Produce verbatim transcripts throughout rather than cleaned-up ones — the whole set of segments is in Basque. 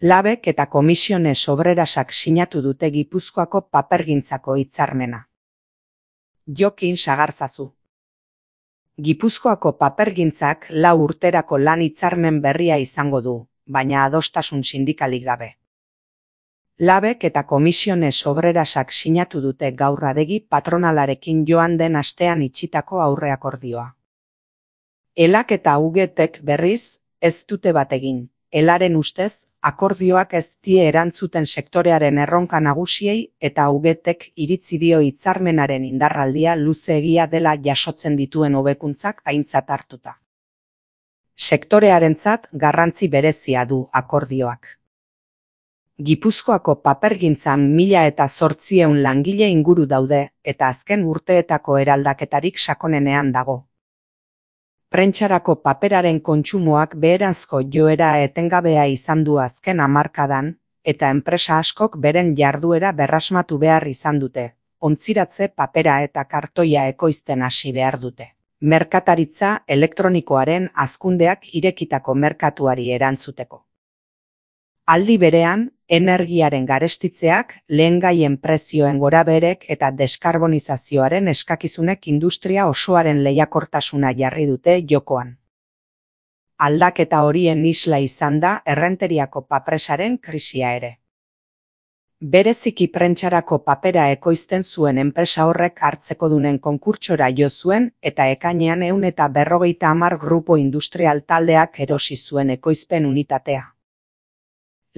Labek eta Komisiones Obrerasak sinatu dute Gipuzkoako papergintzako hitzarmena. Jokin Sagarzazu. Gipuzkoako papergintzak lau urterako lan hitzarmen berria izango du, baina adostasun sindikalik gabe. Labek eta Komisiones Obrerasak sinatu dute gaur adegi patronalarekin joan den astean itxitako aurreakordioa. Elak eta Ugetek berriz ez dute bat egin. Elaren ustez, akordioak ez die erantzuten sektorearen erronka nagusiei eta Ugetek iritzi dio hitzarmenaren indarraldia luzeegia dela jasotzen dituen hobekuntzak aintzat hartuta. Sektorearentzat garrantzi berezia du akordioak. Gipuzkoako papergintzan mila eta zortziehun langile inguru daude eta azken urteetako eraldaketarik sakonenean dago. Prentsarako paperaren kontsumoak beheranzko joera etengabea izan du azken hamarkadan, eta enpresa askok beren jarduera berrasmatu behar izan dute, ontziratze papera eta kartoia ekoizten hasi behar dute. Merkataritza elektronikoaren hazkundeak irekitako merkatuari erantzuteko. Aldi berean, energiaren garestitzeak, lehengaien prezioen gorabeherek eta deskarbonizazioaren eskakizunek industria osoaren lehiakortasuna jarri dute jokoan. Aldaketa horien isla izan da errenteriako papresaren krisia ere. Bereziki prentsarako papera ekoizten zuen enpresa horrek hartzekodunen konkurtsora jo zuen eta ekainean ehun eta berrogeita hamar grupo industrial taldeak erosi zuen ekoizpen unitatea.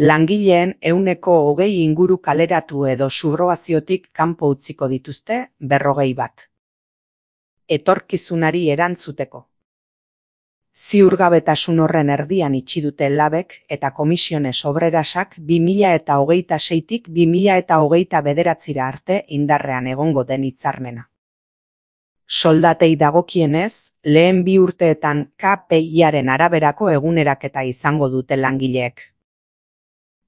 Langileen ehuneko hogei inguru kaleratu edo subrogaziotik kanpo utziko dituzte berrogei bat. Etorkizunari erantzuteko. Ziurgabetasun horren erdian itxi dute Labek eta Komisiones Obrerasak bi mila eta hogeita seitik bi mila eta hogeita bederatzira arte indarrean egongo den hitzarmena. Soldatei dagokienez, lehen bi urteetan K P I-aren araberako eguneraketa izango dute langileek.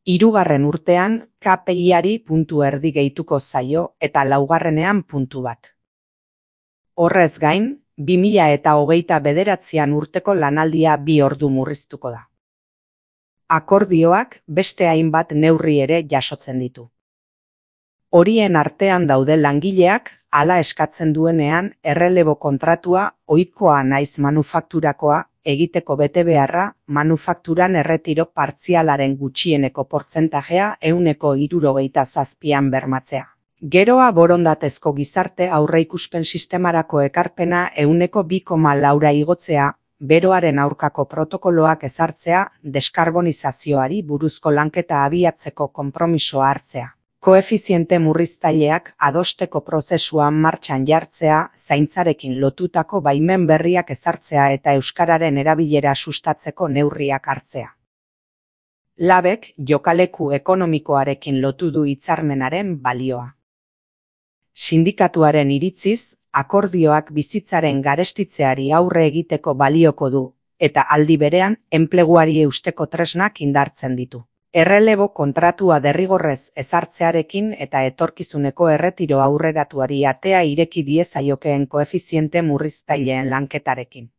Hirugarren urtean K P I-ari puntu erdi gehituko zaio eta laugarrenean puntu bat. Horrez gain, bi mila eta hogeita bederatzian urteko lanaldia bi ordu murriztuko da. Akordioak beste hainbat neurri ere jasotzen ditu. Horien artean daude langileak, hala eskatzen duenean errelebo kontratua ohikoa naiz manufakturakoa, egiteko betebeharra, manufakturan erretiro partzialaren gutxieneko portzentajea ehuneko hirurogeita zazpian bermatzea. Geroa borondatezko gizarte aurreikuspen sistemarako ekarpena ehuneko bi koma laura igotzea, beroaren aurkako protokoloak ezartzea, deskarbonizazioari buruzko lanketa abiatzeko konpromisoa hartzea. Koefiziente murriztaileak adosteko prozesuan martxan jartzea, zaintzarekin lotutako baimen berriak ezartzea eta euskararen erabilera sustatzeko neurriak hartzea. Labek jokaleku ekonomikoarekin lotu du hitzarmenaren balioa. Sindikatuaren iritziz, akordioak bizitzaren garestitzeari aurre egiteko balioko du, eta aldi berean enpleguari eusteko tresnak indartzen ditu. Errelebo kontratua derrigorrez ezartzearekin eta etorkizuneko erretiro aurreratuari atea ireki diezaiokeen koefiziente murriztaileen lanketarekin.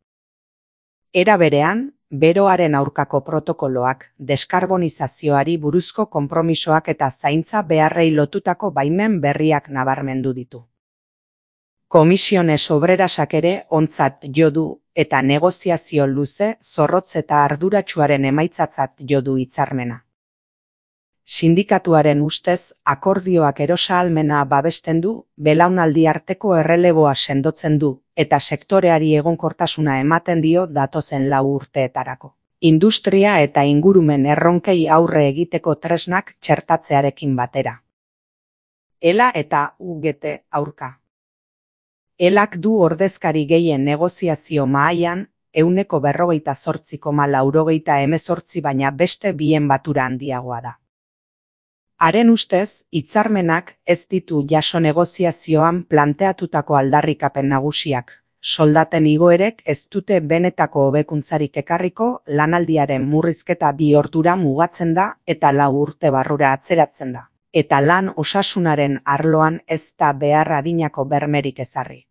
Era berean, beroaren aurkako protokoloak, deskarbonizazioari buruzko konpromisoak eta zaintza beharrei lotutako baimen berriak nabarmendu ditu. Komisiones Obrerasak ere ontzat jo du eta negoziazio luze, zorrotz eta arduratsuaren emaitzatzat jo du hitzarmena. Sindikatuaren ustez, akordioak erosahalmena babesten du, belaunaldi arteko erreleboa sendotzen du, eta sektoreari egonkortasuna ematen dio datozen lau urteetarako. Industria eta ingurumen erronkei aurre egiteko tresnak txertatzearekin batera. Ela eta U G T aurka. Elak du ordezkari gehien negoziazio mahaian, ehuneko berrogeita zortzi koma laurogeita hemezortzi baina beste bien batura handiagoa da. Haren ustez, hitzarmenak ez ditu jaso negoziazioan planteatutako aldarrikapen nagusiak. Soldaten igoerek ez dute benetako hobekuntzarik ekarriko, lanaldiaren murrizketa bi ordura mugatzen da eta lau urte barrura atzeratzen da. Eta lan osasunaren arloan ez da behar adinako bermerik ezarri.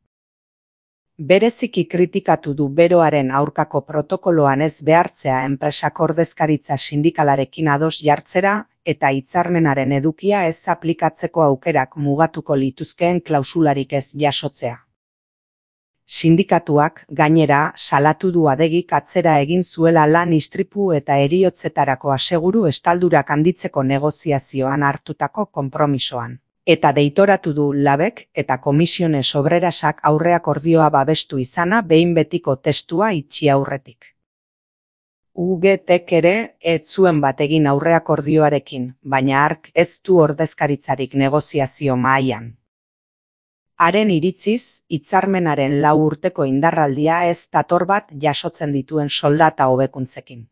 Bereziki kritikatu du beroaren aurkako protokoloan ez behartzea enpresak ordezkaritza sindikalarekin ados jartzera eta hitzarmenaren edukia ez aplikatzeko aukerak mugatuko lituzkeen klausularik ez jasotzea. Sindikatuak, gainera, salatu du Adegik atzera egin zuela lan istripu eta heriotzetarako aseguru estaldurak handitzeko negoziazioan hartutako konpromisoan. Eta deitoratu du Labek eta Komisiones Obrerasak aurreakordioa babestu izana behin betiko testua itxi aurretik. U G Tek ere ez zuen bat egin aurreakordioarekin, baina hark ez du ordezkaritzarik negoziazio mahaian. Haren iritziz, hitzarmenaren lau urteko indarraldia ez dator bat jasotzen dituen soldata hobekuntzekin.